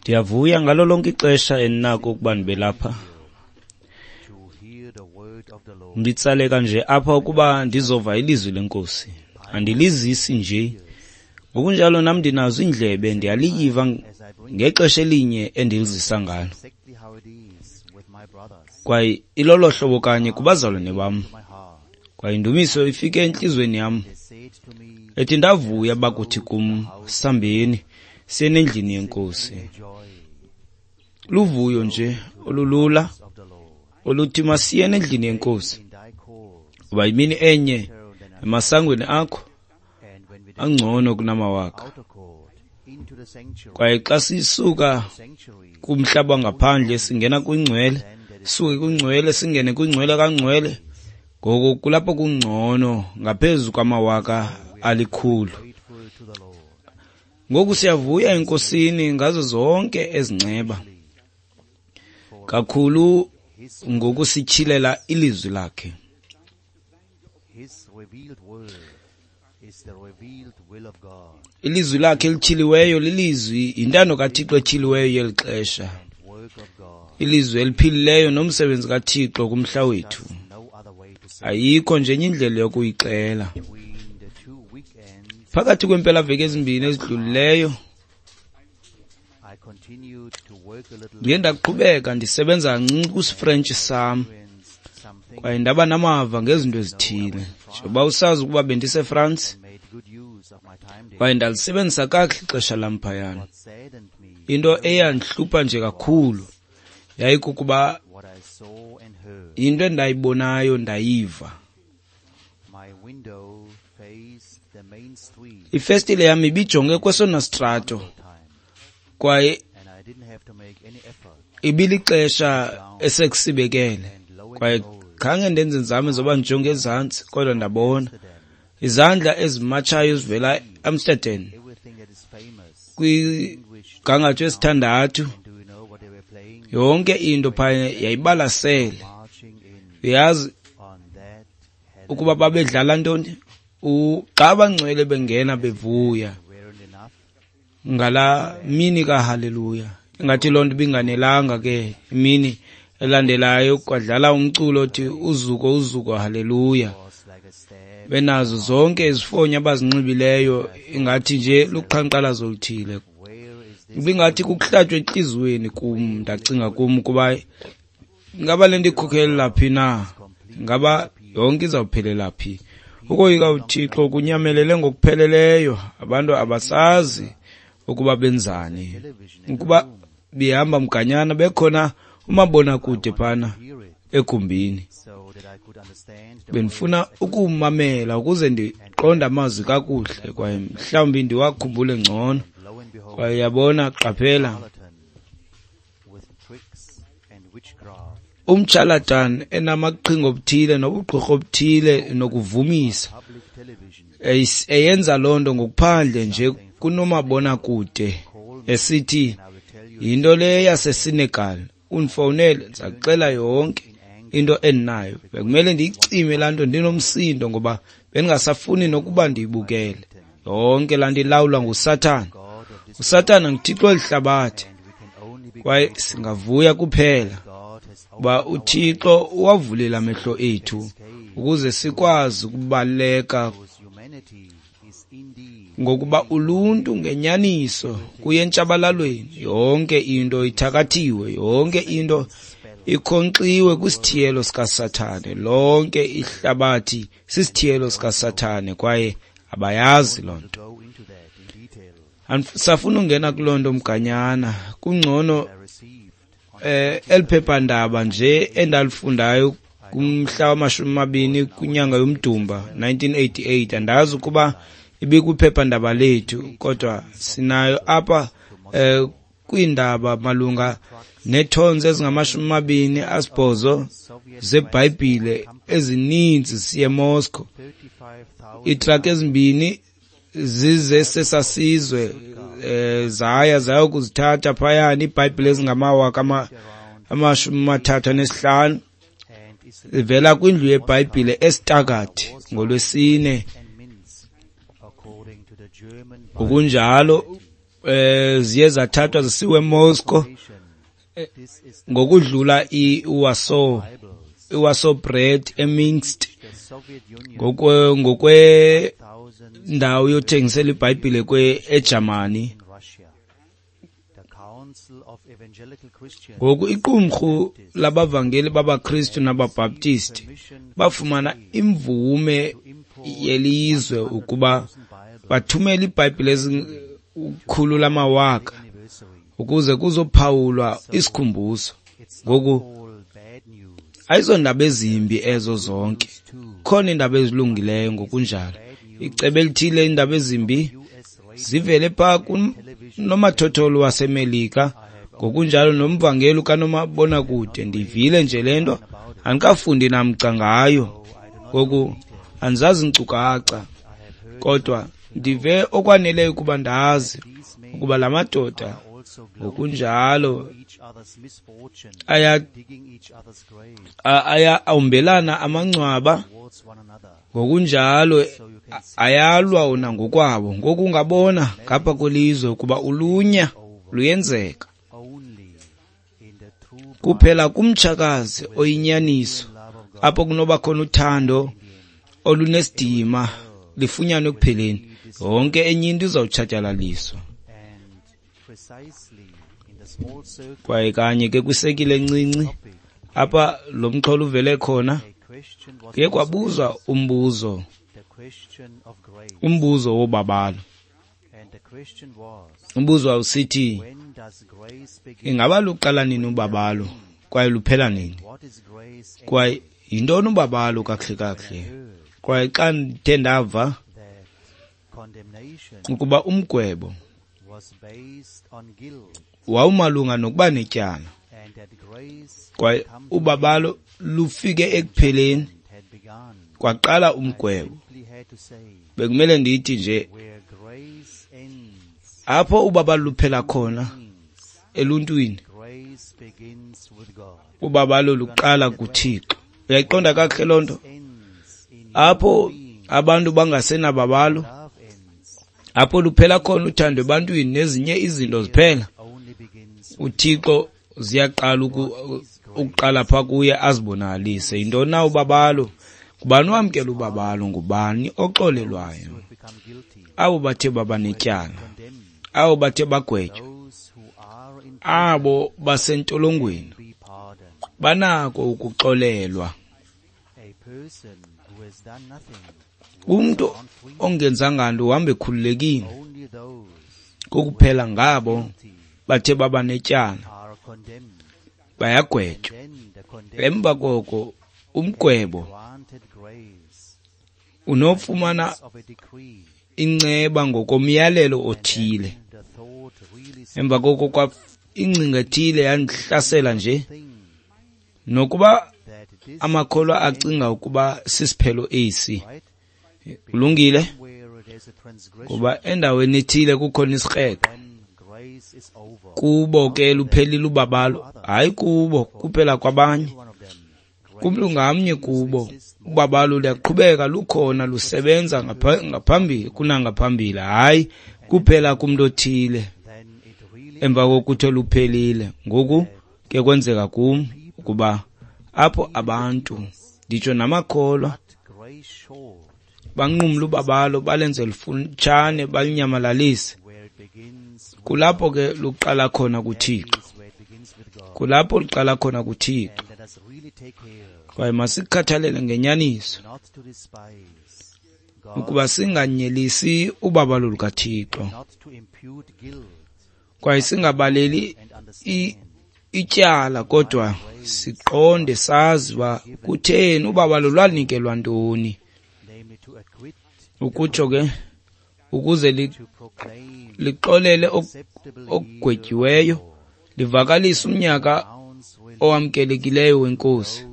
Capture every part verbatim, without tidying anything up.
Ndiyavuya ngalo lonke ixesha endinako ukuba ndibe lapha. Nditsaleka nje apha ukuba ndizova ilizwi leNkosi. Andilizisi nje. Ngokunjalo nam ndinazo iindlebe, ndiyaliyiva ngexesha elinye endilizisa ngalo. Kwaye ilolo hlobo kanye kubazalwane bam. Kwaye indumiso ifike entliziyweni yam. Ethi ndavuya bakuthi kum, sambeni siyeni endlini yeNkosi. Luvuyo nje olulula oluthi masiyeni endlini yeNkosi. Kuba imini enye emasangweni akho angcono kunamawaka. Kwaye xa sisuka kumhlaba ngaphandle singena kwingcwele, suke kwingcwele singene kwingcwele kangcwele, ngoko kulapho kungcono ngaphezu kwamawaka alikhulu. Ngoku siyavuya eNkosini ngazo zonke ezinceba, kakhulu ngokusityhilela ilizwi lakhe. Ilizwi lakhe elityhiliweyo lilizwi, yintando kaThixo etyhiliweyo yeli xesha, ilizwi eliphilileyo nomsebenzi kaThixo kumhla wethu. Ayikho nje enye indlela yokuyixela. Phakathi kweempelaveki ezimbini ezidlulileyo ndiye ndaqhubeka ndisebenza kancinci kwisiFrentshi sam, kwaye ndaba namava ngezinto ezithile. Njengoba usazi ukuba bendiseFrance, kwaye ndalisebenzisa kakuhle ixesha lam phayana. Into eyandihlupha nje kakhulu yayikukuba yinto endayibonayo ndayiva. Ifestile yam ibijonge kwesona sitrato, kwaye ibilixesha esekusibekele, kwaye khange ndenze nzame zoba ndijonge ezantsi, kodwa ndabona izandla ezimatshayo ezivela eAmsterdam kwigangatho esithandathu. Yonke into phaya yayibalasele. Uyazi ukuba babedlala ntoni? Xa abangcwele bengena bevuya ngala mini kaHaleluya. Ingathi loo nto ibinganelanga ke imini elandelayo kwadlala umculo othi uzuko uzuko haleluya. Benazo zonke izifonyo abazinxibileyo, ingathi nje luqhankqalazo oluthile. Ibingathi kukuhlatywa entliziyweni kum. Ndacinga kum ukuba ingaba le nto ikhokhelela phi na, ingaba yonke izawuphelela phi. Ukoyika uThixo kunyamelele ngokupheleleyo. Abantu abasazi ukuba benzani, ukuba behamba mganyana bekhona umabonakude phana egumbini. Bendifuna ukumamela ukuze ndiqonde amazwi kakuhle, kwaye mhlawumbi ndiwakhumbule ngcono. Kwaye yabona, qaphela, umtshalatan enamaqhinga obuthile nobugqirha obuthile nokuvumisa, eyenza loo nto ngokuphandle nje kunomabonakude, esithi yinto le yaseSenegal. Undifowunele, ndizakuxela yonke into endinayo. Bekumele ndiyicime laa nto ndinomsindo, ngoba bendingasafuni nokuba ndiyibukele. Yonke laa nto ilawulwa nguSathana. USathana nguthixo welihlabathi, kwaye singavuya kuphela uba uThixo uwavulile amehlo ethu ukuze sikwazi ukubaleka, ngokuba uluntu ngenyaniso kuye entshabalalweni. Yonke into ithakathiwe, yonke into ikhonkxiwe kwisithiyelo sikaSathane. Lonke ihlabathi sisithiyelo sikaSathane, kwaye abayazi loo nto. Safuna ungena kuloo nto mganyana. Kungcono eh eliphephandaba nje endalifundayo kumhla wamashumi amabini kwinyanga yoMdumba nineteen eighty-eight. Andazi ukuba ibikwiphephandaba lethu, kodwa sinayo apha eh kwiindaba malunga neetons ezingamashumi amabini asibhozo zeBhayibhile ezininzi siye eMoscow. Iitraki ezimbini zize sesasizwe eh zaya zayokuzithatha phayana iiBhayibhile ezingamawaka amashumi amathathu anesihlanu ivela kwindlu yeBhayibhile eStuttgart ngolwesine Ngokunjalo eh ziye zathathwa zisiwe eMoscow ngokudlula iWarsaw iWarsaw Bread eMinsk ngokwe ngokwe ndawo yothengisela iBhayibhile kwe eGermany. Ngoku iqumrhu labavangeli babaKristu nabaBaptisti bafumana imvume yelizwe ukuba bathumele iBhayibhile ezikhulu lamawaka ukuze kuzophawulwa isikhumbuzo. Ngoku ayizondaba ezimbi ezo zonke, khona iindaba ezilungileyo ngokunjalo. Icebo elithile iindaba ezimbi zivele phaa kunomathotholo waseMelika, ngokunjalo nomvangeli kanomabonakude. Ndivile nje le nto, andikafundi namca ngayo, ngoku andizazi iinkcukacha, kodwa ndive okwaneleyo ukuba ndazi ukuba la madoda ngokunjalo aya aya awumbelana amangcwaba, ngokunjalo ayalwa wona ngokwabo. Ngoku ungabona ngapha kwelizwe ukuba ulunya luyenzeka kuphela kumtshakazi oyinyaniso, apho kunoba khona uthando olunesidima lifunyanwe ekupheleni. Yonke enye into izawutshatyalaliswa. Kwaye kanye ke kwisekile encinci apha lo mxholo uvele khona, kuye kwabuzwa umbuzo, umbuzo wobabalo. Umbuzo wawusithi, ingaba luqala nini ubabalo kwaye luphela nini? Kwaye yintoni ubabalo kakuhle kakuhle? Kwaye xa ndithe ndava ukuba umgwebo wawumalunga nokuba netyala, kwaye ubabalo lufike ekupheleni, kwaqala umgwebo, bekumele ndithi nje apho ubabalo luphela khona eluntwini, ubabalo luqala kuThixo. Uyayiqonda kakuhle loo nto? Apho abantu bangasenababalo, apho luphela khona uthando ebantwini nezinye izinto ziphela, uThixo ziyaqala ukuqala pha kuye azibonakalise. Yintoni na ubabalo? Ngubani owamkela ubabalo? Ngubani oxolelwayo? Abo bathe baba netyala, abo bathe bagwetywa, abo basentolongweni banako ukuxolelwa. Umntu ongenzanga nto uhamba ekhululekile, kokuphela ngabo bathe baba netyala bayagwetywa. Emva koko umgwebo unofumana inceba ngokomyalelo othile. Emva koko kwa ingcinga ethile yandihlasela nje, nokuba amakholwa acinga ukuba sisiphelo esi. Kulungile, kuba endaweni ethile kukhona isikreqo. Kubo ke luphelile ubabalo, hayi kubo kuphela kwabanye, kumntu ngamnye kubo ubabalo luyaqhubeka lukhona, lusebenza ngaphambili kunangaphambili, hayi kuphela kumntu othile emva kokuthi luphelile. Ngoku ke kwenzeka kum ukuba apho abantu, nditsho namakholwa, banqumla ubabalo, balenze lufutshane, balunyamalalise, kulapho ke luqala khona kuThixo. Kulapho luqala khona kuThixo. Kwaye masikhathalele ngenyaniso ukuba singanyelisi ubabalo lukaThixo, kwaye singabaleli ityala, kodwa siqonde sazi uba kutheni ubabalo lwanikelwa ntoni. Ukutsho ke ukuze lixolele okugwetyiweyo, livakalise umnyaka owamkelekileyo weNkosi,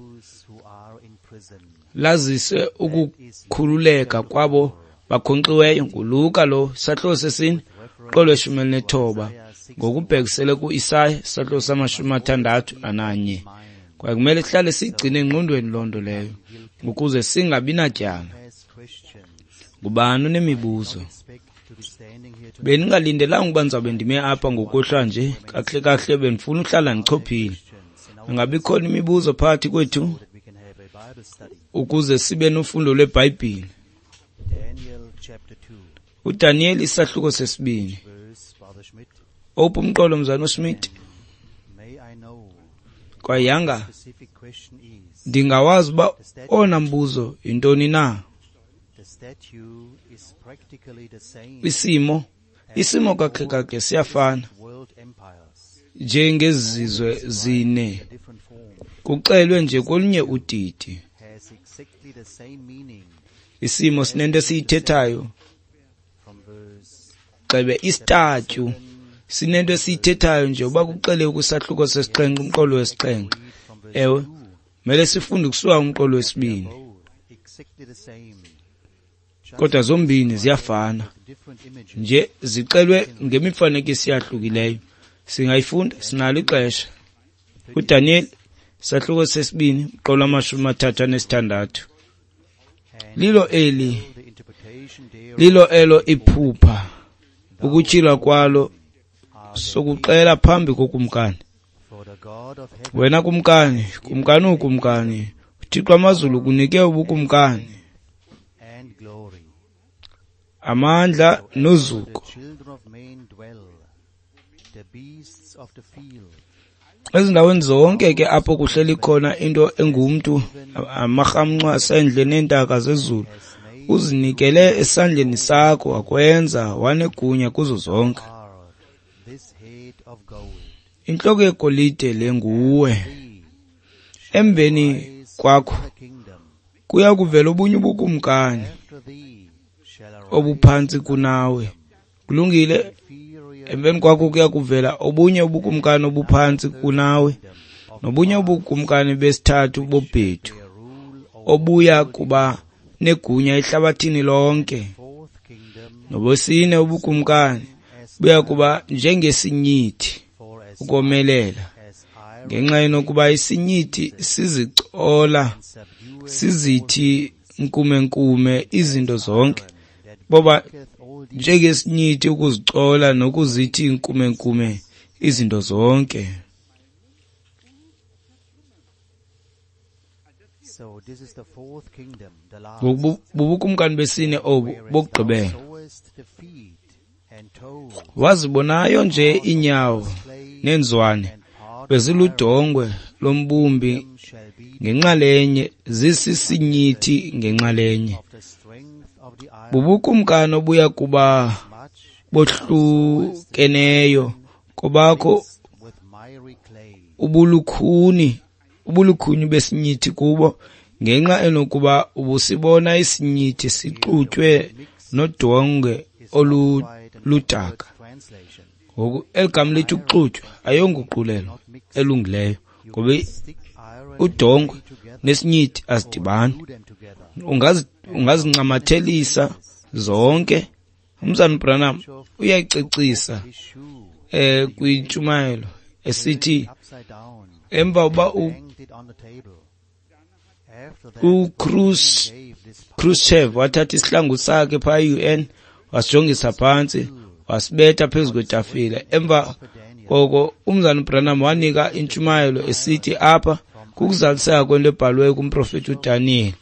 lazise ukukhululeka kwabo bakhonkxiweyo. NguLuka lo, isahluko sesine, qolo lweshumi elinethoba, ngokubhekisele ku-Isaya isahluko samashumi amathandathu ananye. Kwaye kumele sihlale siyigcine engqondweni loo nto leyo ukuze singabi natyala. Ngubani onemibuzo? Bendingalindelanga ukuba ndizawube ndime apha ngokuhlwa nje. Kakuhle kakuhle bendifuna uhlala ndichophile. Ingabe ikhona imibuzo phakathi kwethu ukuze sibe nofundo lweBhayibhile? uDaniel isahluko sesibini. Owuphi umqolo mzana uSmith? Kwayanga ndingawazi uba owona mbuzo yintoni na. Isimo isimo kakuhle kakuhle siyafana njengezizwe zine, kuxelwe nje kolunye udidi. Isimo sinento esiyithethayo, xebe istatyu sinento esiyithethayo nje uba kuxele kwisahluko sesixhenxe umqolo wesixhenxe. Ewe, mele sifunde kusuka umqolo wesibini, kodwa zombini ziyafana nje, zixelwe ngemifanekiso eyahlukileyo. Singayifunda, sinalo ixesha. uDaniel isahluko sesibini umqolo wamashumi amathathu anesithandathu. Lilo eli lilo elo iphupha, ukutyhilwa kwalo sokuxela phambi kokumkani. Wena kumkani, kumkani ukumkani, uThixo wamazulu kunike ubukumkani, amandla nozuko. Ezindaweni zonke ke apho kuhleli khona into engumntu, amarhamncwa asendle neentaka zezulu, uzinikele esandleni sakho, wakwenza wanegunya kuzo zonke. Intloko yegolide le nguwe. Emveni kwakho kuya kuvela obunye ubukumkani obuphantsi kunawe. Kulungile. Emveni kwakho kuya kuvela obunye ubukumkani obuphantsi kunawe, nobunye ubukumkani besithathu bobhedu obuya kuba negunya ehlabathini lonke. Nobesine ubukumkani buya kuba njengesinyithi ukomelela, ngenxa yokuba isinyithi sizicola sizithi nkumenkume izinto zonke. Boba njengesinyithi ukuzicola nokuzithi nkumenkume izinto zonke. Ngoku bubukumkani besine obu bokugqibela. Wazibonayo nje iinyawo neenzwane beziludongwe lombumbi ngenxalenye, zisisinyithi ngenxalenye. Bubukumkani obuya kuba bohlukeneyo kobakho ubulukhuni ubulukhuni besinyithi kubo, ngenxa enokuba ubusibona isinyithi sixutywe nodongwe oluludaka. Ngoku eli gama lithi ukuxutywa ayonguqulelo elungileyo, ngoba udongwe nesinyithi azidibani. Ungazi ungazincamathelisa zonke. Umzana Branham uyayicecisa eh kwintshumayelo esithi emva uba uKhrushchev wathatha isihlangu sakhe phaa e U N wasijongisa phantsi wasibetha phezu kwetafile. Emva koko umzana Branham wanika intshumayelo esithi apha kukuzaliseka kwento ebhaliweyo kumprofeti uDaniel.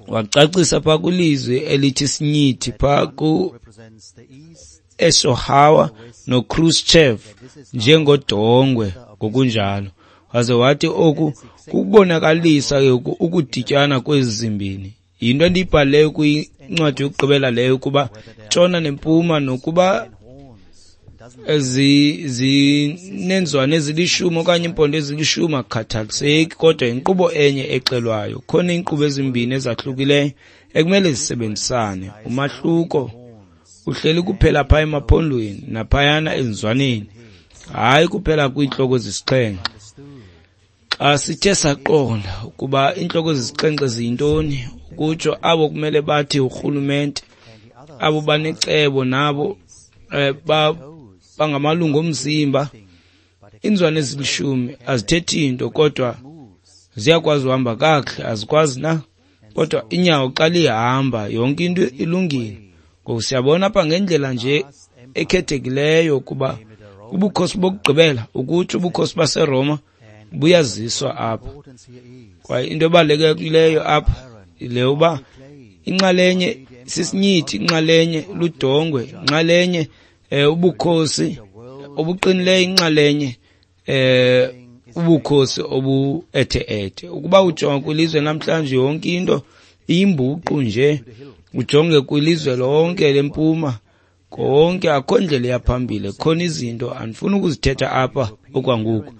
Wacacisa phaa kwilizwi elithi sinyithi phaa ku Eisenhower noKhrushchev njengodongwe ngokunjalo. Waze wathi oku kukubonakalisa ukudityana kwezi zimbini. Yinto endiyibhalileyo kwincwadi yokugqibela leyo, ukuba ntshona nempuma nokuba zinenzwane ezilishumi okanye iimpondo ezilishumi akukhathaliseki, kodwa yinkqubo enye exelwayo. Khona iinkqubo ezimbini ezahlukileyo ekumele zisebenzisane. Umahluko uhleli kuphela phaa emaphondweni naphayana ezinzwaneni, hayi kuphela kwiintloko zesixhenxe. Xa sithe saqonda ukuba iintloko zesixhenxe ziyintoni, ukutsho abo kumele bathi urhulumente, abo banecebo nabo eh, ba bangamalungu omzimba. Iinzwane ezilishumi azithethi nto, kodwa ziyakwazi uhamba kakuhle, azikwazi na? Kodwa inyawo xa lihamba yonke into ilungile. Ngoku siyabona apha ngendlela nje ekhethekileyo kuba ubukhosi bokugqibela, ukutsho ubukhosi baseRoma, buyaziswa apha. Kwaye into ebalulekileyo apha yile uba inxalenye sisinyithi, inxalenye ludongwe, inxalenye eh, ubukhosi obuqinileyo, inxalenye eh ubukhosi obu-ethe-ethe. Ukuba ujonga kwilizwe namhlanje yonke into iyimbuqu nje, ujonge kwilizwe lonke lempuma konke akho ndlela eyaphambili. Khona izinto andifuni ukuzithetha apha okwangoku,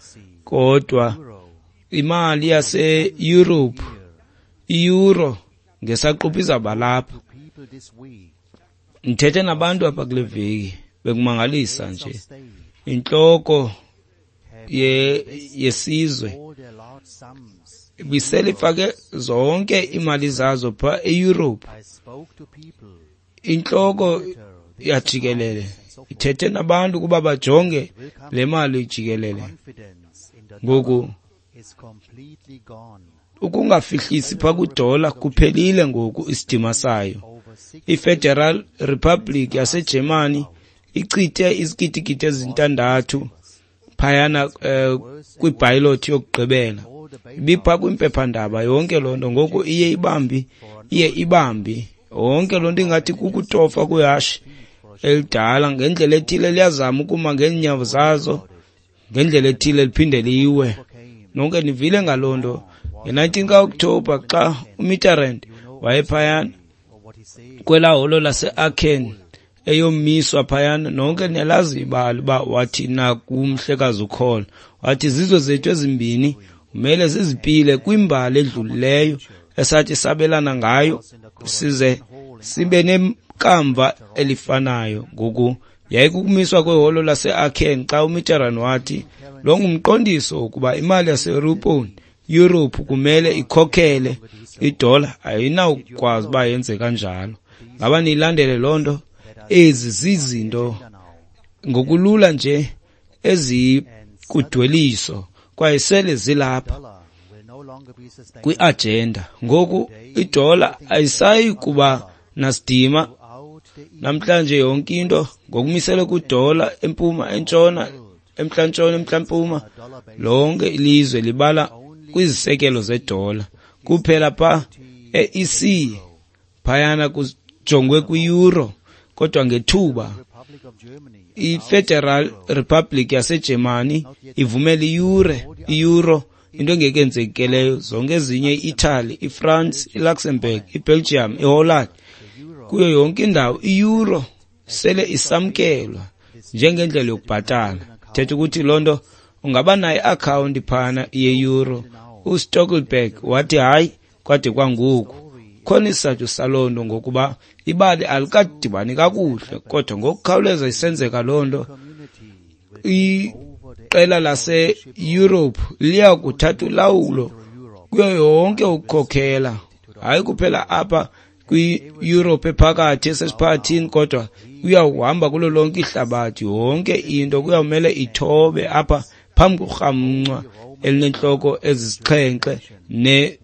kodwa imali yase-Europe, i-euro ngesaquphe izawuba lapha. Ndithethe nabantu apha kule veki, bekumangalisa nje. Intloko ye yesizwe ibisele ifake zonke iimali zazo phaa e-Europe. Intloko yajikelele ithethe nabantu ukuba bajonge le mali jikelele. Ngoku ukungafihlisi phaa kwidola kuphelile ngoku isidima sayo. I-Federal Republic yaseGermany ichithe izigidigidi ezintandathu phayana eh, kwibhayiloti yokugqibela. Ibipha kwimpephandaba yonke loo nto. Ngoku iye ibambi, iye ibambi yonke loo nto, ingathi kukutofa kwihashe elidala. Ngendlela ethile liyazama ukuma ngeenyawo zazo, ngendlela ethile liphinde liwe. Nonke nivile ngaloo nto. nge-nineteen ka-Okthobha xa uMitterrand wayephayana kwelaa holo lase-Aachen eyomiswa phayana, nonke niyalazi ibali uba wathi na kumhlekazi uKohl, wathi zizwe zethu ezimbini kumele zizipile kwimbali edlulileyo esathi sabelana ngayo size sibe nekamva elifanayo. Ngoku yayikukumiswa kweholo lase-Aachen xa uMitterrand wathi lo ngumqondiso wokuba imali yaseYurophu Europe kumele ikhokhele idola, ayinawukwazi uba yenze kanjalo. Ngaba niyilandele loo nto? Ezi zizinto ngokulula nje ezikudweliso kwaye sele zilapha kwi-agenda. Ngoku idola ayisayi kuba nasidima namhlanje. Yonke into ngokumiselwe kwidola, empuma, entshona, emntla-ntshona, emntla-mpuma, lonke ilizwe libala kwizisekelo zedola kuphela. Pha e-E C phayana kujongwe kwi-euro, kodwa ngethuba i-Federal Republic yaseGermany ivumela i-euro, i-euro into engekenzeki leyo. Zonke ezinye, i-Italy, i-France, i-Luxembourg, i-Belgium, i-Holland, kuyo yonke indawo i-euro sele isamkelwa njengendlela yokubhatala. Thetha ukuthi loo nto ungaba nayo i-akhawunti phana ye-euro. UStoltenberg wathi hayi kwade kwangoku. Khona isizathu saloo nto, ngokuba ibali alikadibani kakuhle, kodwa ngokukhawuleza isenzeka loo nto, iqela lase-Europe liya kuthatha ulawulo kuyo yonke ukukhokhela, hayi kuphela apha kwi-Europe ephakathi esesiphakathini, kodwa kuyawuhamba kulo lonke ihlabathi. Yonke into kuyawumele ithobe apha phambi korhamncwa elinentloko ezisixhenxe ne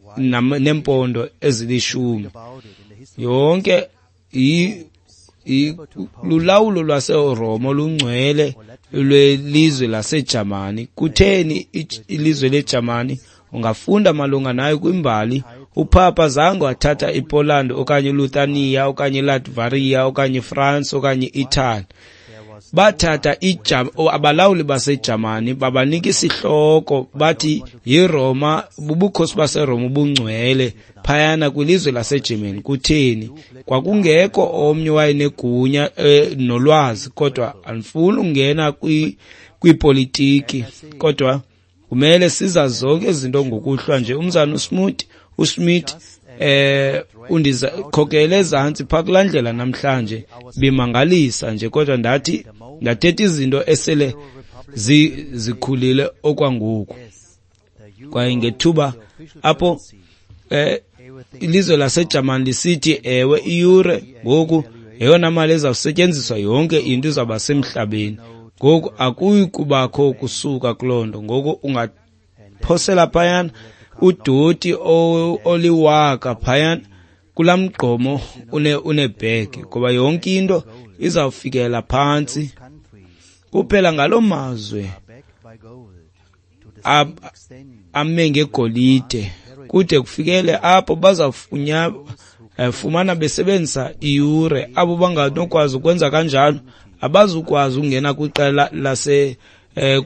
nempondo ezilishumi. Yonke lulawulo lwaseRoma olungcwele lwelizwe laseJamani. Kutheni ilizwe leJamani? Ungafunda malunga nayo kwimbali. UPapa zange wathatha iPoland okanye iLuthania okanye iLatvaria okanye iFrance okanye i-Italy. Bathatha abalawuli baseJamani babanika isihloko bathi yiRoma, bubukhosi baseRoma ubungcwele phayana kwilizwe laseGermany. Kutheni? Kwakungekho omnye wayenegunya eh, nolwazi, kodwa andifuni ungena kwipolitiki, kodwa kumele sizazi zonke izinto ngokuhlwa nje. Umzana uSmith uSmith eh undikhokele ezantsi phaa kulaa ndlela namhlanje, bimangalisa nje, kodwa ndathi ndathetha izinto esele zikhulile okwangoku. Kwaye ngethuba apho eh ilizwe laseJamani lisithi ewe i-euro ngoku yeyona mali ezawusetyenziswa, yonke into izawuba semhlabeni. Ngoku akuyi kubakho kusuka kuloo nto. Ngoku ungaphosela phayana Udoti oliwaka phayana kulaa mgqomo unebhegi, ngoba yonke into izawufikela phantsi. Kuphela ngaloo mazwe ame ngegolide kude kufikele apho bazawufumana besebenzisa iyure. Abo banganokwazi ukwenza kanjalo abazukwazi ukungena kwiqela lase eh,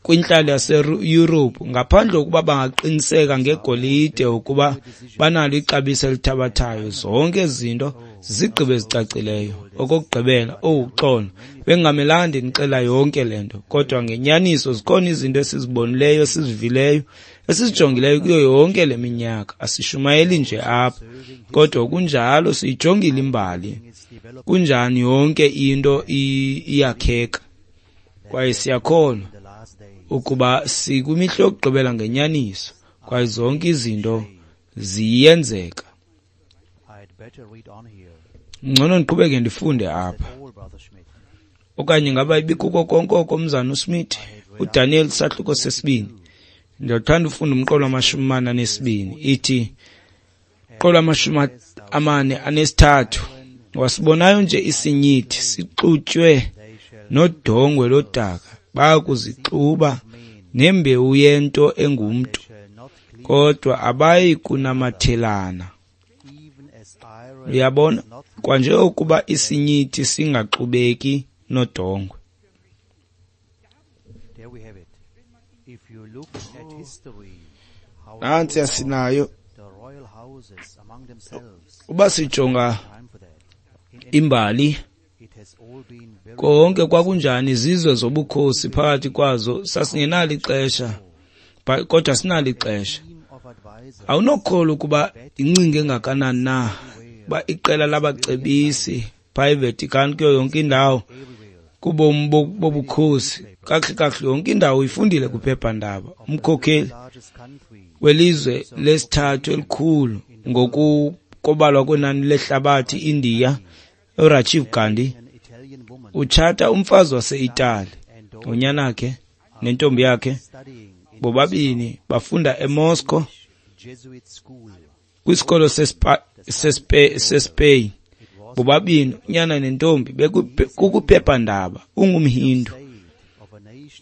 kwintlalo yaseYurophu ngaphandle kokuba bangaqiniseka ngegolide ukuba banalo ixabiso elithabathayo. Zonke ezi zinto zizigqibo ezicacileyo. Okokugqibela, owu xolo, bengingamelanga ndinixela yonke le nto, kodwa ngenyaniso zikhona izinto esizibonileyo, esizivileyo, esizijongileyo kuyo yonke le minyaka. Asishumayeli nje apha, kodwa kunjalo siyijongile imbali. Kunjani yonke into iyakheka, kwaye siyakholwa ukuba sikwimihla yokugqibela ngenyaniso, kwaye zonke izinto ziyenzeka. Ngcono ndiqhubeke ndifunde apha. Okanye ngaba ibikuko konke oko, Mzana uSmith? UDaniel sahluko sesibini. Ndiyathanda ufunda umqolo wamashumi amane anesibini. Ithi umqolo wamashumi amane anesithathu. Wasibonayo nje isinyithi sixutywe nodongwe lodaka, bayakuzixuba nembewu yento engumntu, kodwa abayi kunamathelana. Uyabona, kwanje ukuba isinyithi singaxubeki nodongwe. Nantsi asinayo. Uba sijonga imbali, konke kwakunjani izizwe zobukhosi phakathi kwazo sasingenalo ixesha, kodwa sinalo ixesha. Awunokholwa ukuba incinga engakanani na uba iqela labacebisi phaa eVatican kuyo yonke indawo kubomi bobukhosi, kakuhle kakuhle yonke indawo uyifundile kwiphephandaba. Umkhokheli welizwe lesithathu elikhulu ngokukobalwa kwenani lehlabathi, India, uRajiv Gandhi, utshata umfazi wase-Itali. Unyana wakhe nentombi yakhe bobabini bafunda eMoscow kwisikolo seSpain. Bobabini unyana nentombi kukwiphephandaba. Ungumhindu,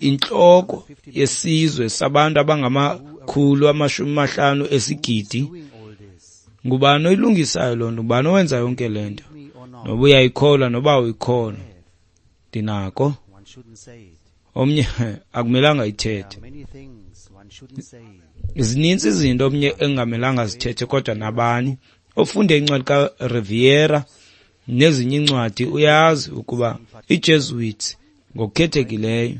intloko yesizwe sabantu abangamakhulu amashumi amahlanu esigidi. Ngubani oyilungisayo loo nto? Ngubani owenza yonke le nto? Noba uyayikholwa noba awuyikholwa, ndinako. Omnye akumelanga ithethe. Zininzi izinto omnye engamelanga zithethe, kodwa nabani ofunde incwadi kaRiviera nezinye iincwadi uyazi ukuba iJesuits ngokukhethekileyo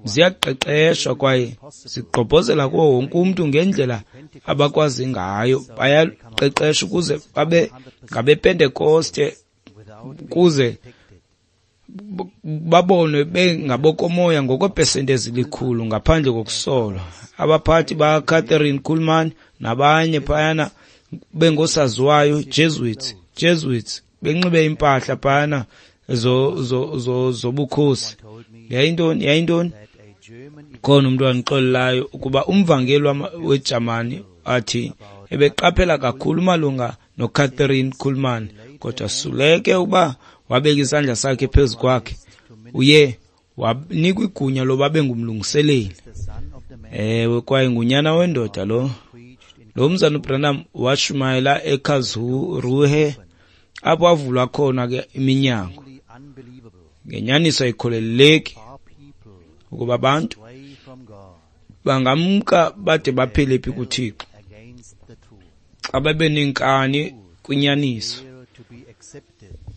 ziyaqeqeshwa kwaye zigqobhozela kuwo wonke umntu ngendlela abakwazi ngayo. Bayaqeqeshwa ukuze babe ngabePentekoste, ukuze babonwe bengabokomoya ngokweepesenti ezilikhulu ngaphandle kokusolwa. Abaphathi bakaCatherine Kuhlman nabanye phayana bengosaziwayo Jesuits, Jesuits benxibe impahla phayana zobukhosi. Yayintoni? Yayintoni? Khona umntu wandixolelayo ukuba umvangeli weJamani athi ebeqaphela kakhulu malunga noCatherine Kuhlman, kodwa suleke uba wabeka isandla sakhe phezu kwakhe, uye wanikwa igunya loba abe ngumlungiseleli. Ewe, kwaye ngunyana wendoda lo. Lo mzana uBranham washumayela eKarlsruhe, apho avulwa khona ke iminyango. Ngenyaniso ayikholeleki ukuba abantu bangamka bade baphele phi kuThixo xa babe nenkani kwinyaniso.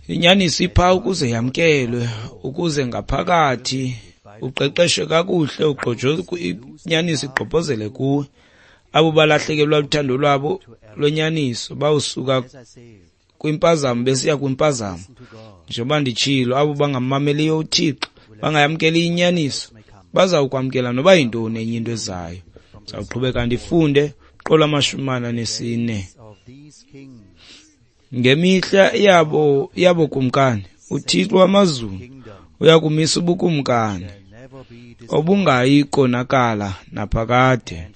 Inyaniso ipha ukuze yamkelwe, ukuze ngaphakathi uqeqeshwe kakuhle, inyaniso igqobhozele kuwe. Abo balahlekelwa luthando lwabo lwenyaniso bawusuka kwimpazamo besiya kwimpazamo. Njengoba nditshilo, abo bangamameliyo uThixo, bangayamkeli inyaniso, bazawukwamkela noba yintoni enye into ezayo. Ndizawuqhubeka ndifunde qolo amashumi amane anesine. Ngemihla yabo yabo kumkani, uThixo wamazulu uyakumisa ubukumkani obungayi konakala naphakade.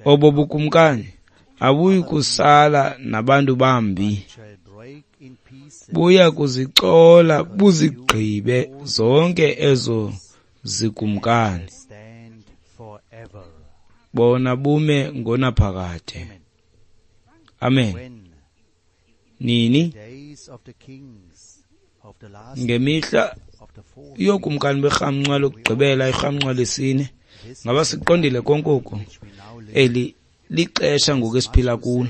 Obo bukumkani abuyi kusala nabantu bambi, buya kuzicola buzigqibe zonke ezo zikumkani, bona bume ngonaphakade. Amen. Nini? Ngemihla yokumkani berhamncwa lokugqibela, irhamncwa lesine. Ngaba siqondile konke oku? Eli lixesha ngoku esiphila kulo.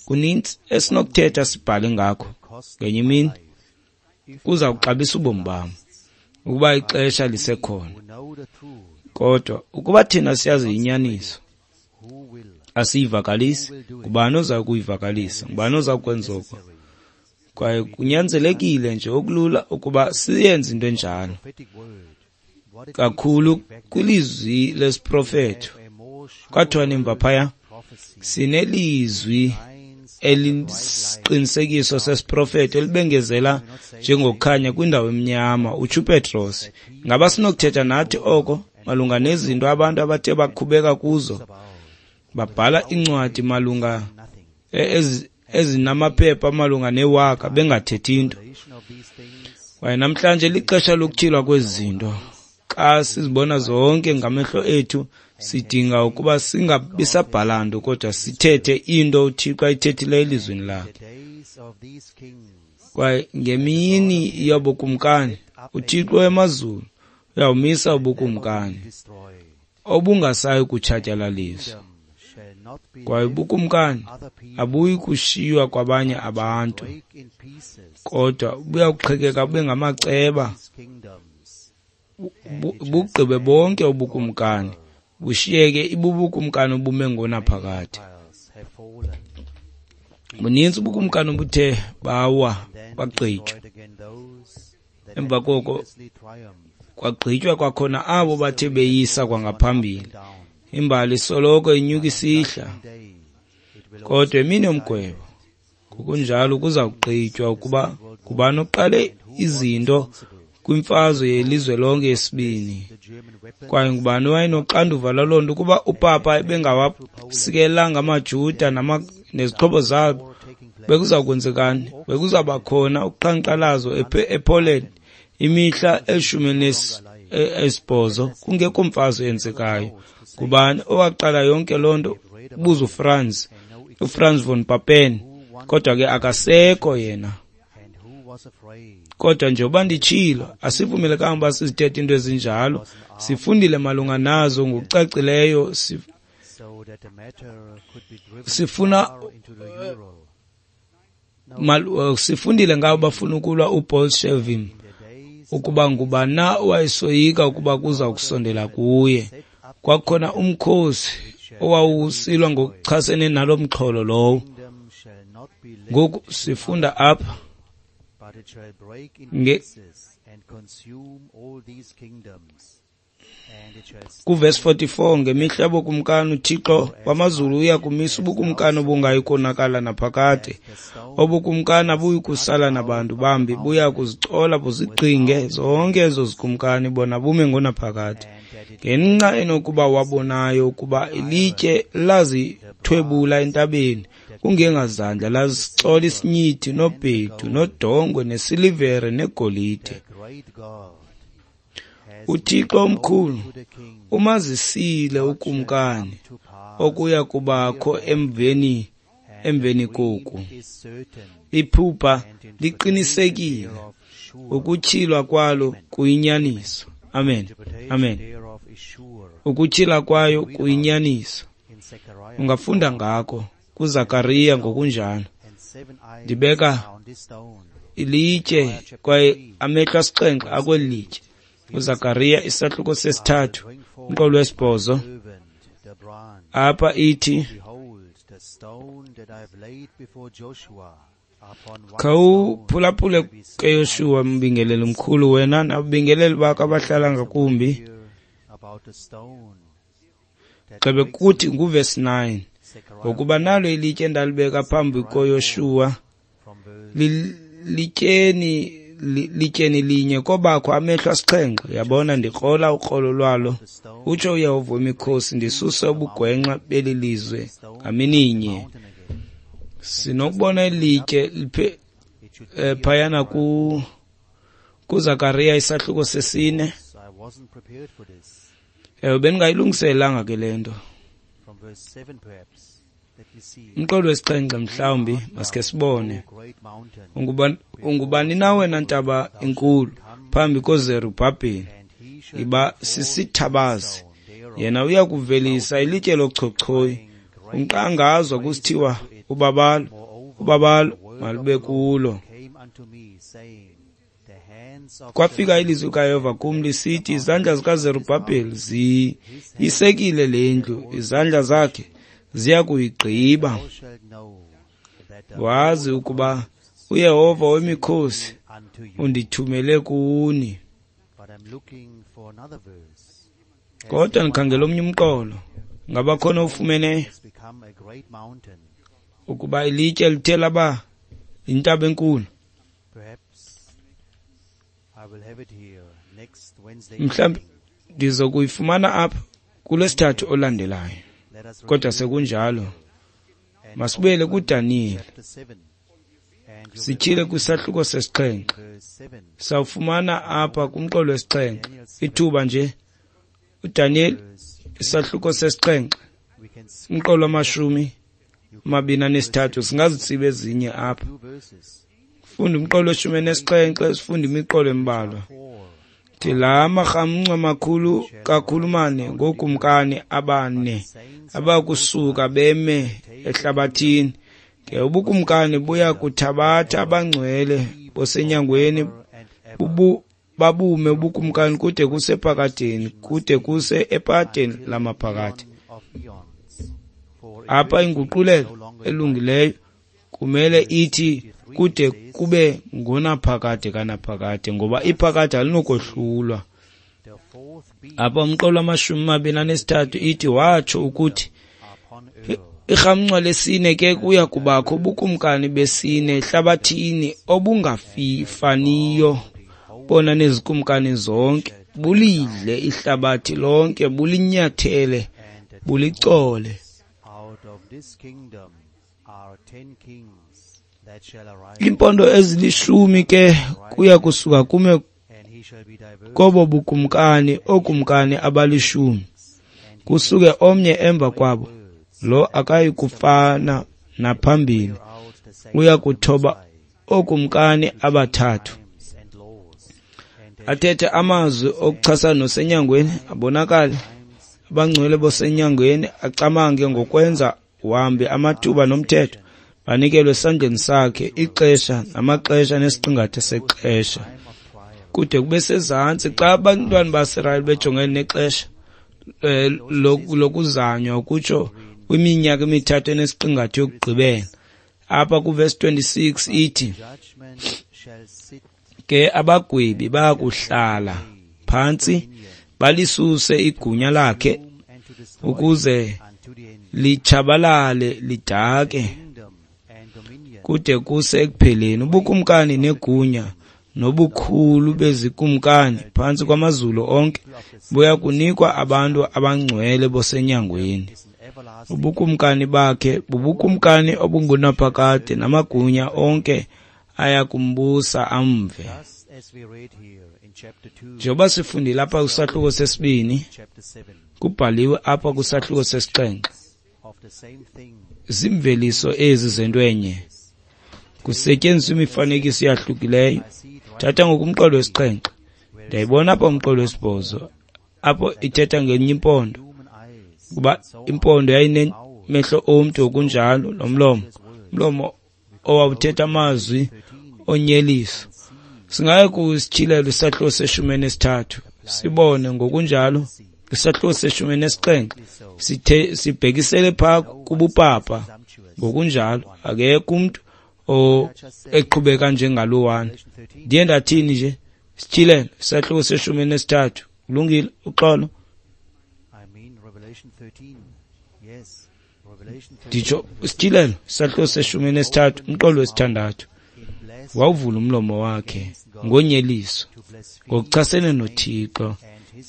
Kunintsi esinokuthetha sibhale ngakho. Ngenye imini kuza kuxabisa ubomi bam ukuba ixesha lisekhona. Kodwa ukuba thina siyazi inyaniso, asiyivakalisi, ngubani oza kuyivakalisa? Ngubani oza kwenza oko? Kwaye kunyanzelekile nje okulula ukuba siyenze into enjalo, kakhulu kwilizwi lesiprofeto. Kwathiwa nemva phaya, sinelizwi elisiqinisekiso sesiprofeto elibengezela njengokukhanya kwindawo emnyama, utsho uPetros. Ngaba sinokuthetha nathi oko malunga nezinto abantu abathe bakhubeka kuzo, babhala iincwadi malunga ezinamaphepha malunga newaka bengathethi into? Kwaye namhlanje lixesha lokutyhilwa kwezi zinto. Xa sizibona zonke ngamehlo ethu, sidinga ukuba singabi sabhala nto, kodwa sithethe into uThixo ayithethileyo elizwini lakhe. Kwaye ngemini yobukumkani, uThixo wemazulu uyawumisa ubukumkani obungasayi kutshatyalaliswa. Kwaye ubukumkani abuyi kushiywa kwabanye abantu, kodwa buya kuqhekeka bube ngamaceba, bugqibe bonke ubukumkani, bushiyeke ibubukumkani obume ngonaphakade. Buninzi ubukumkani obuthe bawa bagqitywa. Emva koko kwagqitywa kwakhona abo bathe beyisa kwangaphambili. Imbali soloko inyuka isihla, kodwa emini yomgwebo ngokunjalo kuza kugqitywa ukuba ngubani oqale izinto kwimfazwe yelizwe lonke yesibini, kwaye ngubani owayenoxanduva lwaloo nto. Ukuba upapa ebengawasikelanga amaJuda nezixhobo zabo, bekuza kwenzekani? Bekuzawuba khona uqhankqalazo ePoland imihla elishumi esibhozo kungekho mfazwe yenzekayo. Ngubani owaqala yonke loo nto? Buza uFranz, uFranz von Papen. Kodwa ke akasekho yena. Kodwa njengoba nditshilo, asivumelekanga uba sizithethe into ezinjalo. Sifundile malunga nazo ngokucacileyo. Sifuna sifundile ngabo bafuna ukulwa uBolshevism, ukuba ngubani na owayesoyika ukuba kuza kusondela kuye. Kwakhona umkhosi owawusilwa ngokuchasene nalo mxholo lowo. Ngoku sifunda apha kuvesi forty-four, ngemihla yobukumkani uThixo wamazulu uya kumisa ubukumkani obungayi konakala naphakade. Obukumkani abuyi kusala nabantu bambi, buya kuzicola buzigqinge zonke ezo zikumkani, bona bume ngonaphakade. Ngenxa enokuba wabonayo ukuba ilitye lazithwebula entabeni kungengazandla, lazicola isinyithi nobhedu nodongwe nesilivere negolide. uThixo omkhulu umazisile ukumkani okuya kubakho emveni emveni koku. Iphupha liqinisekile, ukutyhilwa kwalo kuyinyaniso. Amen. Amen. Ukutyhila kwayo kuyinyaniso. Ungafunda ngako kuZakariya ngokunjalo. Ndibeka ilitye kwaye amehlo asixhenxe akweli litye. UZakariya isahluko sesithathu umqolo wesibhozo. Apha ithi, khawuphulaphule ke Yoshuwa, mbingeleli mkhulu, wena nababingeleli bakho abahlala ngakumbi. Gxebe kuthi nguvesi nine, ngokuba nalo ilitye endalibeka phambi koYoshuwa lityeni lityeni linye kobakho amehlo asixhenxe. Yabona, ndikrola ukrolo lwalo, utsho uYehova wemikhosi, ndisuse ubugwenxa beli lizwe ngamininye. Sinokubona ilitye phayana ku kuZakariya isahluko sesine. Ewe, bendingayilungiselelanga ke le nto. Umqolo wesixhenxe mhlawumbi masike sibone. Ungubani, ungubani na wena ntaba enkulu phambi koZerubhabheli? Iba sisithabazi, yena uya kuvelisa ilitye lochochoyi, umqangazwa kusithiwa ubabalo, ubabalo malube kulo. Kwafika ilizwi kaYehova kum lisithi, izandla zikaZerubhabheli ziyisekile le ndlu, izandla zakhe ziya kuyigqiba. Wazi ukuba uYehova wemikhosi undithumele kuni. Kodwa ndikhangela omnye umqolo. Ngaba khona ufumeneyo ukuba ilitye lithe laba yintaba enkulu? Mhlawumbi ndizokuyifumana apha kulwesithathu olandelayo. Kodwa sekunjalo, masibuyele kuDaniyeli, sityhile kwisahluko sesixhenxe. Sawufumana apha kumqolo wesixhenxe ithuba nje. uDaniyeli isahluko sesixhenxe, umqolo wamashumi amabini anesithathu. Singazitsiba ezinye apha. Funda umqolo weshumi nesixhenxe, sifunde imiqolo embalwa. Thi la marhamncwa makhulu kakhulu mane ngookumkani abane abakusuka beme ehlabathini. Ke ubukumkani buya kuthabatha abangcwele bosenyangweni, bubu babume ubukumkani kude kuse phakadeni, kude kuse ephakadeni lamaphakade. Apha inguqulelo elungileyo kumele ithi kude kube ngonaphakade kanaphakade, ngoba iphakade alinokohlulwa. Apha umqolo wamashumi amabini anesithathu ithi watsho ukuthi irhamncwa lesine ke kuya kubakho ubukumkani besine ehlabathini obungafaniyo bona nezikumkani zonke, bulidle ihlabathi lonke, bulinyathele, bulicole. Iimpondo ezilishumi ke kuya kusuka kume kobo bukumkani ookumkani abalishumi, kusuke omnye emva kwabo, lo akayi kufana naphambili, uya kuthoba ookumkani abathathu. Athethe amazwi okuchasana nosenyangweni, abonakale abangcwele bosenyangweni, acamange ngokwenza wambi amathuba nomthetho, banikelwe esandleni sakhe ixesha namaxesha nesiqingatha sexesha. Kude kube sezantsi xa abantwana baSirayeli bejongene nexesha lokuzanywa, ukutsho kwiminyaka emithathu enesiqingatha yokugqibela. Apha kuvesi twenty-six ithi ke abagwebi bayakuhlala phantsi balisuse igunya lakhe ukuze litshabalale lidake kude kuse ekupheleni. Ubukumkani negunya nobukhulu bezikumkani phantsi kwamazulu onke buya kunikwa abantu abangcwele bosenyangweni. Ubukumkani bakhe bubukumkani obungunaphakade, namagunya onke aya kumbusa amve. Njengoba sifundile apha kwisahluko sesibini, kubhaliwe apha kwisahluko sesixhenxe, ziimveliso ezi zento enye, kusetyenziswa imifanekiso eyahlukileyo. Thatha ngoku umqolo wesixhenxe, ndiyayibona apha umqolo wesibhozo, apho ithetha ngenye impondo, kuba impondo yayinemehlo omntu okunjalo nomlomo, umlomo owawuthetha amazwi onyeliso. Singaye kusityhilelo isahluko seshumi nesithathu, sibone ngokunjalo isahluko seshumi nesixhenxe sithe sibhekisele phaa kubupapa. Ngokunjalo akekho umntu eqhubeka njengalowana. Ndiye ndathini nje? Sityhilelo isahluko seshumi nesithathu. Kulungile, uxolo. Nditsho sityhilelo isahluko seshumi nesithathu umqolo wesithandathu. Wawuvula umlomo wakhe ngonyeliso ngokuchasene noThixo,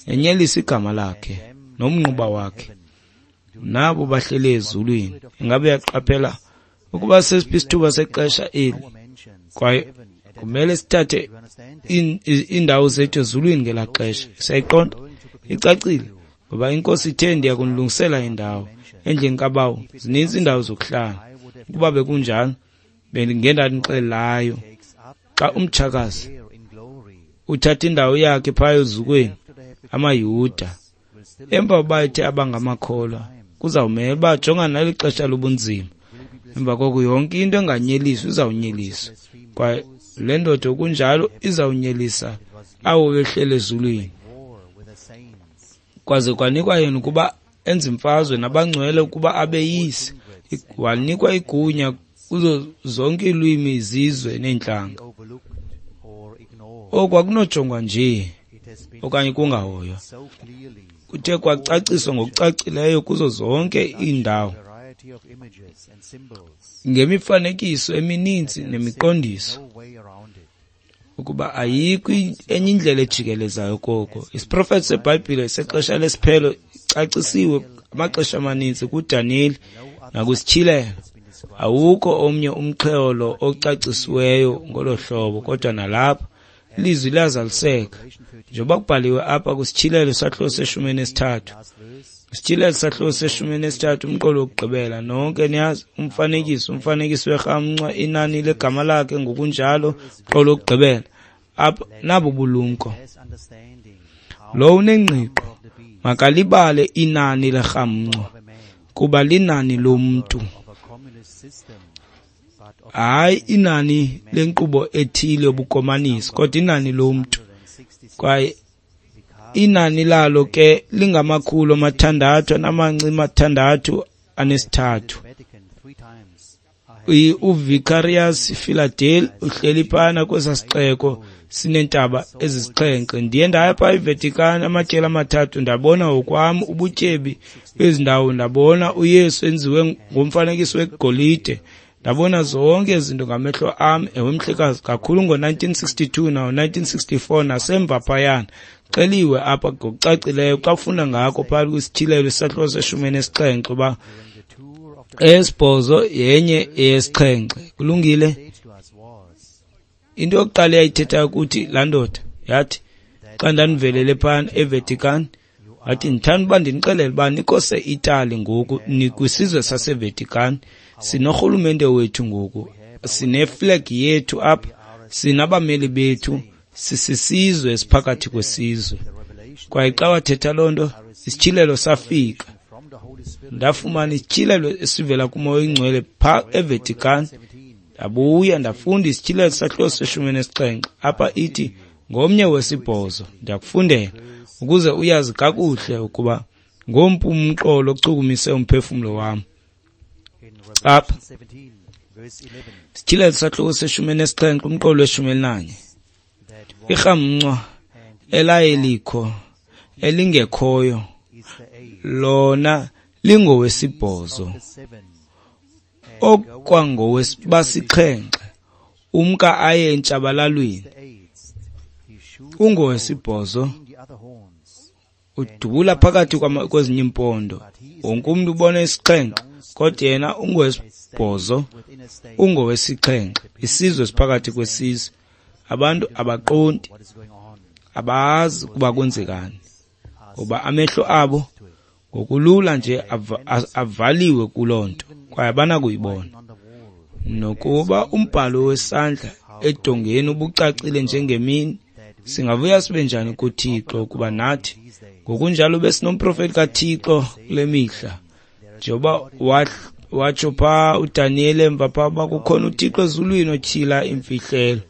enyelisa igama lakhe nomnquba wakhe nabo bahleli ezulwini. Ingabe uyaqaphela ukuba sesiphi isithuba sexesha eli? Kwaye kumele sithathe iindawo zethu ezulwini ngelaa xesha. Siyayiqonda? Icacile, ngoba iNkosi ithe, ndiya kunilungisela indawo. Endlini kaBawo zininzi iindawo zokuhlala. Ukuba bekunjalo, bendingendandixelelayo. Xa umtshakazi uthatha indawo yakhe phaya ezukweni, amaYuda, emva uba ethe abangamakholwa, kuzawumele uba jongana neli xesha lobunzima. Emva koko yonke into enganyeliswa izawunyeliswa, kwaye le ndoda okunjalo izawunyelisa abo behleli ezulwini. Kwaze kwanikwa yena ukuba enze imfazwe nabangcwele ukuba abeyise. Wanikwa igunya kuzo zonke iilwimi, izizwe neentlanga. Oku akunojongwa nje okanye kungahoywa. Kuthe kwacaciswa ngokucacileyo kuzo zonke iindawo ngemifanekiso emininzi nemiqondiso, ukuba ayikho enye indlela ejikelezayo koko. Isiprofeto seBhayibhile sexesha lesiphelo icacisiwe amaxesha amaninzi kuDaniyeli nakwiSityhilelo. Awukho omnye umxholo ocacisiweyo ngolo hlobo, kodwa nalapha ilizwi liyazaliseka njengoba kubhaliwe apha kwiSityhilelo isahluko seshumi elinesithathu. Isityhilelo isahluko seshumi elinesithathu, umqolo wokugqibela. Nonke niyazi umfanekiso, umfanekiso werhamncwa, inani legama lakhe ngokunjalo, umqolo wokugqibela. Apha nabo bulumko. Lo unengqiqo makalibale inani lerhamncwa, kuba linani lomntu, hayi inani lenkqubo ethile yobukomanisi, kodwa inani lomntu. Kwaye inani lalo ke lingamakhulu amathandathu anamanci mathandathu anesithathu. UVicarius Philadel uhleli phana kwesa sixeko sineentaba ezisixhenxe. Ndiye ndaya phaa eVatican amatyeli amathathu, ndabona ngokwam ubutyebi bezi ndawo, ndabona uYesu enziwe ngomfanekiso wegolide, ndabona zonke ezi zinto ngamehlo am. Ewe mhlekazi, kakhulu ngo-nineteen sixty-two nawo-nineteen sixty-four nasemva phayana. Xeliwe apha ngokucacileyo xa ufunda ngako phakathi kwiSityhilelo isahluko seshumi elinesixhenxe uba eyesibhozo yenye eyesixhenxe. Kulungile. Into yokuqala eyayithethayo kuthi laa ndoda yathi xa ndandivelele phana eVatican, wathi ndithanda uba ndinixelele uba nikho seItaly ngoku, nikwisizwe saseVatican, sinorhulumente wethu ngoku, sineflag yethu apha, sinabameli bethu, sisisizwe esiphakathi kwesizwe. Kwaye xa wathetha loo nto, isityhilelo safika. Ndafumana isityhilelo esivela kuMoya oyiNgcwele phaa eVatican. Ndabuya ndafunda isityhilelo sahluko seshumi elinesixhenxe. Apha ithi ngomnye wesibhozo. Ndiyakufundela ukuze uyazi kakuhle ukuba ngompu umqolo ochukumise umphefumlo wam. Apha isityhilelo sahluko seshumi elinesixhenxe, umqolo weshumi elinanye. Irhamncwa elaye likho elingekhoyo lona lingowesibhozo, okwangowesibasixhenxe umka aye entshabalalweni. Ungowesibhozo udubula phakathi kwezinye iimpondo. Wonke umntu ubona isixhenxe, kodwa yena ungowesibhozo, ungowesixhenxe. Isizwe siphakathi kwesizwe. Abantu abaqondi, abazi ukuba kwenzekani, ngoba amehlo abo ngokulula nje avaliwe kuloo nto, kwaye abanakuyibona. Nokuba umbhalo wesandla edongeni ubucacile njengemini, singavuya sibe njani kuThixo ukuba nathi ngokunjalo besinomprofeti kaThixo kule mihla, njengoba watsho phaa uDaniyeli emva phaa uba kukhona uThixo ezulwini otyhila imfihlelo,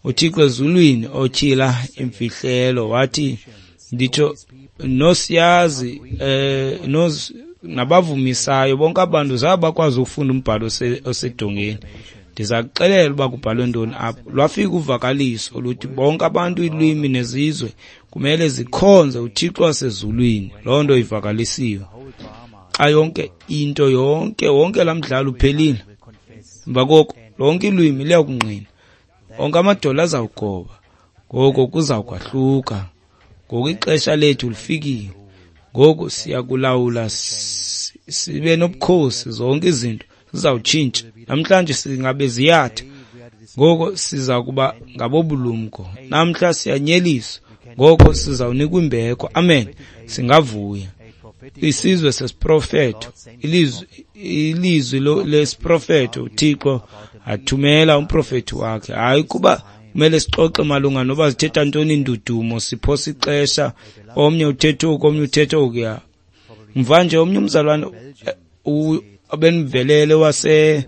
uThixo ezulwini otyhila imfihlelo. Wathi nditsho nosiyazi eh nos nabavumisayo bonke abantu zaba bakwazi ukufunda umbhalo osedongeni. Ndiza kuxelela uba kubhalwe ntoni apho. Lwafika uvakaliso oluthi bonke abantu, iilwimi nezizwe kumele zikhonze uThixo wasezulwini. Loo nto ivakalisiwe. Xa yonke into yonke wonke laa mdlalo uphelile, emva koko lonke ilwimi liyakungqina Onke amadolo azawugoba, ngoko kuzawukwahluka. Ngoku ixesha lethu lifikile. Ngoku siyakulawula sibe nobukhosi, zonke izinto zizawutshintsha. Namhlanje singabe ziyatha, ngoko siza kuba ngabobulumko. Namhla siyanyeliswa, ngoko sizawunikwa imbeko. Amen. Singavuya. Isizwe sesiprofeto, ilizwi ilizwi lesiprofeto, uThixo athumela umprofethi wakhe. Hayi kuba kumele sixoxe malunga noba zithetha ntoni indudumo, siphosa ixesha, omnye uthetha oku, omnye uthetha okuya. Mva nje omnye umzalwane obendivelele wase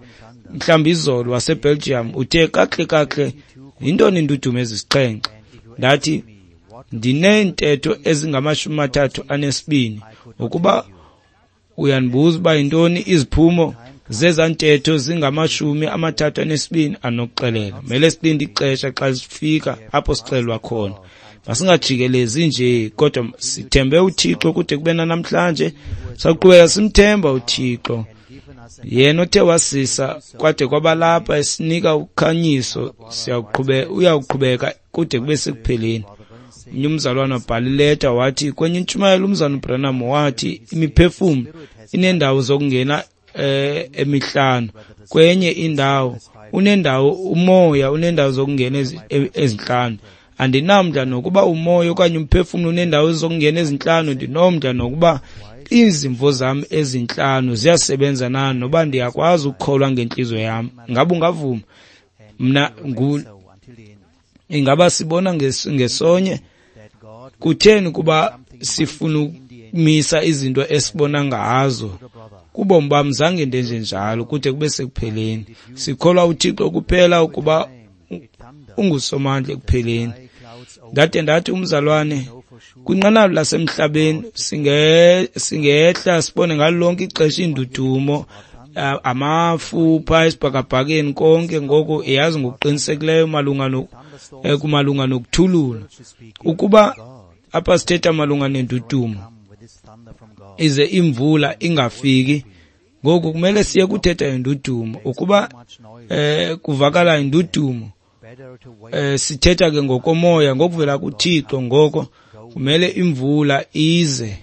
mhlawumbi izolo waseBelgium uthe kakuhle kakuhle yintoni indudumo ezisixhenxe. Ndathi ndineentetho ezingamashumi amathathu anesibini. Ukuba uyandibuza uba yintoni iziphumo zezaa ntetho zingamashumi amathathu anesibini, anokuxelela. Mele silinde ixesha xa sifika apho sixelelwa khona. Masingajikelezi nje, kodwa sithembe uThixo kude kube nanamhlanje. Sawuqhubeka simthemba uThixo, yena othe wasisa kwade kwabalapha esinika ukhanyiso. Siyaqhubeka, uyawuqhubeka kude kube sekupheleni. Omnye umzalwana wabhala ileta wathi kwenye intshumayelo umzalwana uBranham wathi imiphefumlo ineendawo zokungena eh emihlanu, kwenye indawo unendawo umoya unendawo zokungena ezinhlanu. Andinamdla nokuba umoya okanye umphefumlo unendawo zokungena ezinhlanu, ndinomdla nokuba izimvo zam ezinhlanu ziyasebenza na, noba ndiyakwazi ukukholwa ngentliziyo yam. Ngabe ungavuma? Mna ngu ingaba sibona ngesonye? Kutheni kuba sifuna ukumisa izinto esibona ngazo? Kubomi bam zange ndenje njalo kude kube sekupheleni. Sikholwa uThixo kuphela ukuba ungusomandla ekupheleni. Ndade ndathi umzalwane, kwinqanaba lasemhlabeni singe singehla sibone ngalo lonke ixesha indudumo, amafu phaa esibhakabhakeni konke. Ngoko yazi ngokuqinisekileyo malunga no kumalunga nokuthulula. Ukuba apha sithetha malunga nendudumo, ize imvula ingafiki, ngoku kumele siye kuthetha indudumo. Ukuba eh kuvakala indudumo, eh sithetha ke ngokomoya ngokuvela kuThixo, ngoko kumele imvula ize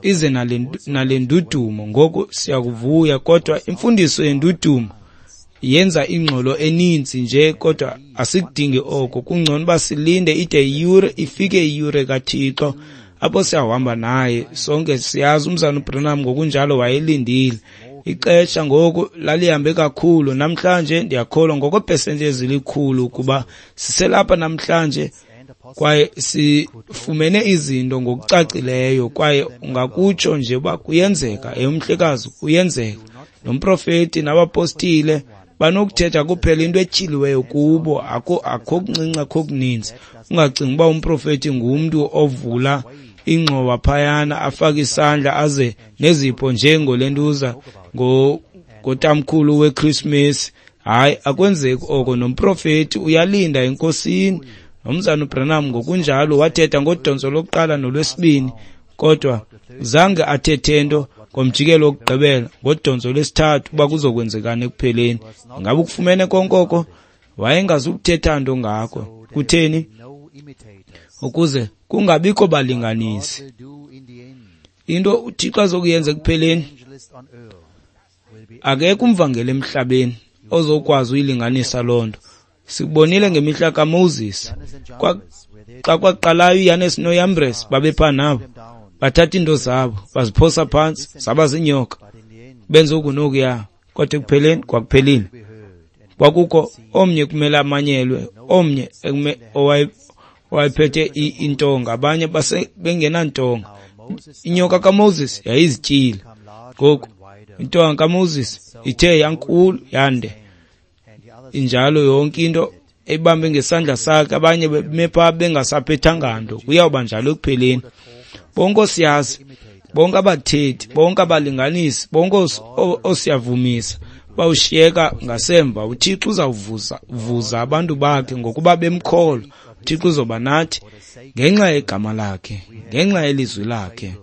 ize nale nale ndudumo. Ngoku siyakuvuya, kodwa imfundiso yendudumo yenza ingxolo eninzi nje, kodwa asikudingi oko. Kungcono uba silinde ide iyure ifike, iyure kaThixo apho siyahamba naye sonke. Siyazi umzalwana uBranham ngokunjalo wayelindile ixesha, ngoku lalihambe kakhulu. Namhlanje ndiyakholwa ngokwepesenti ezilikhulu ukuba siselapha namhlanje kwaye sifumene izinto ngokucacileyo, kwaye ungakutsho nje uba kuyenzeka, eyomhlekazi kuyenzeka. Nomprofeti nabapostile banokuthetha kuphela into etyhiliweyo kubo, akho akho kuncinci, akho kuninzi. Ungacingi uba umprofeti ngumntu ovula ingxowa phayana afake isandla aze nezipho njengolentuza ngotamkhulu weChristmas. Hayi, akwenzeki oko. Nomprofeti uyalinda enkosini. Nomzana uBranham ngokunjalo wathetha ngodonso lokuqala nolwesibini, kodwa zange athethe nto ngomjikelo wokugqibela, ngodonso lwesithathu, uba kuzokwenzekani ekupheleni. Ngabe ukufumene konke oko? Wayengazukuthetha nto ngako. Kutheni? Ukuze kungabikho balinganisi. Into uThixo azokuyenza ekupheleni, akekho umvangeli emhlabeni ozokwazi uyilinganisa loo nto. Sikubonile ngemihla kaMoses, xa kwaqalayo uYanes noYambres babepha nabo, bathatha iinto zabo baziphosa phantsi zaba ziinyoka, benza oku nokuya, kodwa ekupheleni kwakuphelile. Kwakukho omnye kumele amanyelwe, omnye owayephethe intonga, abanye base bengenantonga. Inyoka kaMoses yayizityile. Ngoku intonga kaMoses ithe yankulu yande, injalo yonke into eyibambe ngesandla sakhe, abanye beme phaa bengasaphethanga nto. Kuyawuba njalo ekupheleni. Bonke oosiyazi, bonke abathethi, bonke abalinganisi, bonke oosiyavumisa bawushiyeka ngasemva. UThixo uzawuvuza vuza abantu bakhe ngokuba bemkholwa. UThixo uzoba nathi ngenxa yegama lakhe, ngenxa yelizwi lakhe.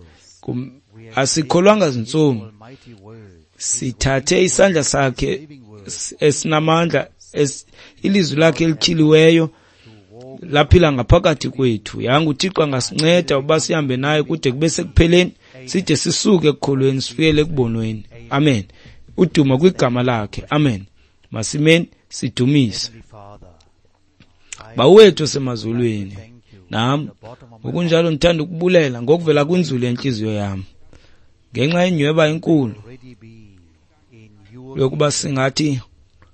Asikholwanga zintsomi, sithathe isandla sakhe esinamandla Ilizwi lakhe elityhiliweyo laphila ngaphakathi kwethu. Yanga uThixo angasinceda uba sihambe naye kude kube sekupheleni, side sisuke ekukholweni sifikele ekubonweni. Amen. Udumo kwigama lakhe. Amen. Masimeni sidumise. Bawethu osemazulwini, nam ngokunjalo ndithanda ukubulela ngokuvela kwinzulu yentliziyo yam ngenxa yenyweba enkulu yokuba singathi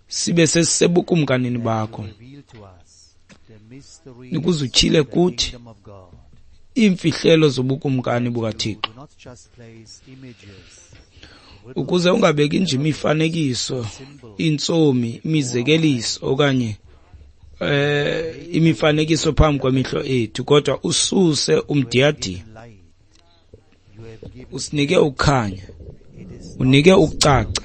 sibe sesisebukumkanini bakho, ukuze utyhile kuthi iimfihlelo zobukumkani bukaThixo, ukuze ungabeki nje imifanekiso, iintsomi, imizekeliso okanye eh imifanekiso phambi kwamehlo ethu, kodwa ususe umdiyadiya, usinike ukukhanya, unike ukucaca.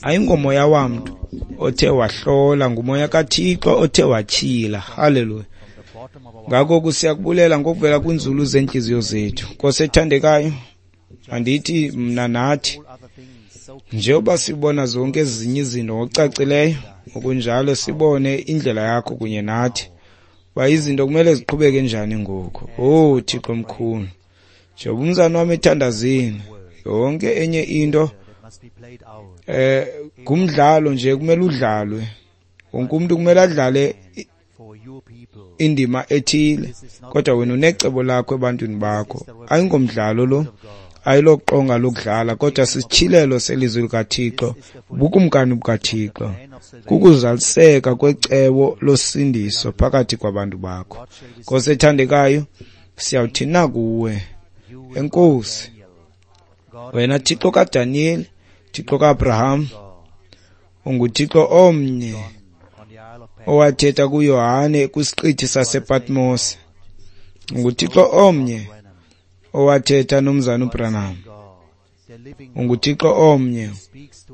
Ayingomoya wamntu othe wahlola, ngumoya kaThixo othe watyhila. Haleluya. Ngako kusiyakubulela ngokuvela kwinzulu zeentliziyo zethu. Nkosi ethandekayo, andithi mna nathi njengoba sibona zonke ezinye izinto ngokucacileyo, ngokunjalo sibone indlela yakho kunye nathi, uba izinto kumele ziqhubeke njani ngoku. Oh Thixo mkhulu, njengoba umzana wam ethandazini, yonke enye into eh ngumdlalo nje, kumele udlalwe. Wonke umuntu kumele adlale indima ethile, kodwa wena unecebo lakho ebantwini bakho. Ayingomdlalo lo, ayiloqonga lokudlala, kodwa sisityhilelo selizwi likaThixo, ubukumkani bukaThixo, kukuzaliseka kwecebo losindiso phakathi kwabantu bakho. Nkosi ethandekayo, siyawuthi na kuwe, enkosi wena Thixo kaDaniyeli, Thixo kaAbraham, unguThixo omnye owathetha kuYohane kwisiqithi sasePatmos, unguThixo omnye owathetha nomzana uBranham, unguThixo omnye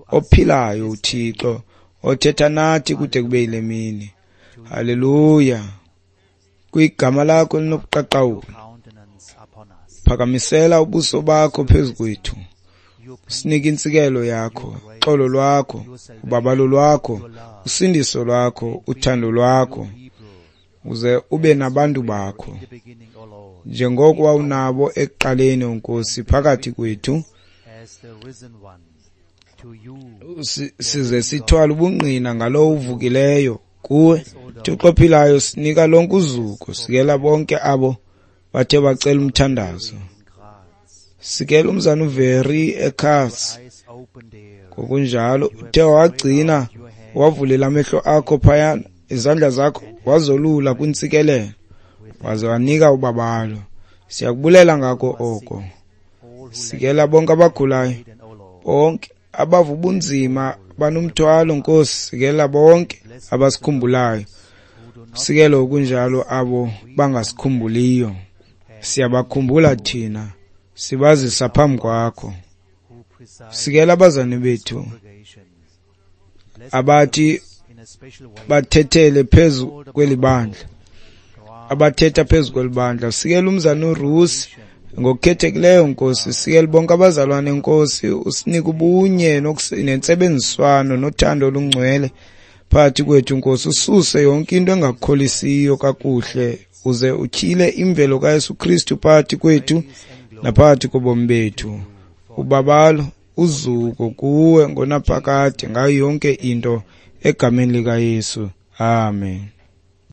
ophilayo, uThixo othetha nathi kude kube yile mini. Haleluya. Kwigama lakho linobuqaqawuli, phakamisela ubuso bakho phezu kwethu, usinike intsikelo yakho, uxolo lwakho, ubabalo lwakho, usindiso lwakho, uthando lwakho, uze ube nabantu bakho njengoko wawunabo ekuqaleni, Nkosi, phakathi kwethu, size sithwale ubungqina ngalowo uvukileyo kuwe. Thixo ophilayo, sinika lonke uzuko, sikela bonke abo bathe bacela umthandazo, sikela umzana uVeri ekhasi ngokunjalo uthe wagcina wavulela amehlo akho phayana, izandla zakho wazolula kwintsikelelo, waze wanika ubabalo. Siyakubulela ngako oko. Sikela bonke abagulayo, bonke abava ubunzima banomthwalo, Nkosi, sikela bonke abasikhumbulayo, sikele okunjalo abo bangasikhumbuliyo. Siyabakhumbula thina, sibazisa phambi kwakho. Sikela abazane bethu abathi bathethele phezu kweli bandla, abathetha phezu kweli bandla. Sikela umzana uRusi ngokukhethekileyo, Nkosi. Sikela bonke abazalwane, Nkosi, usinike ubunye nentsebenziswano nothando olungcwele phakathi kwethu, Nkosi. Ususe yonke into engakukholisiyo kakuhle, uze utyhile imvelo kaYesu Kristu phakathi kwethu naphakathi kobomi bethu. Ubabalo, uzuko kuwe ngonaphakade ngayo yonke into, egameni likaYesu. Amen.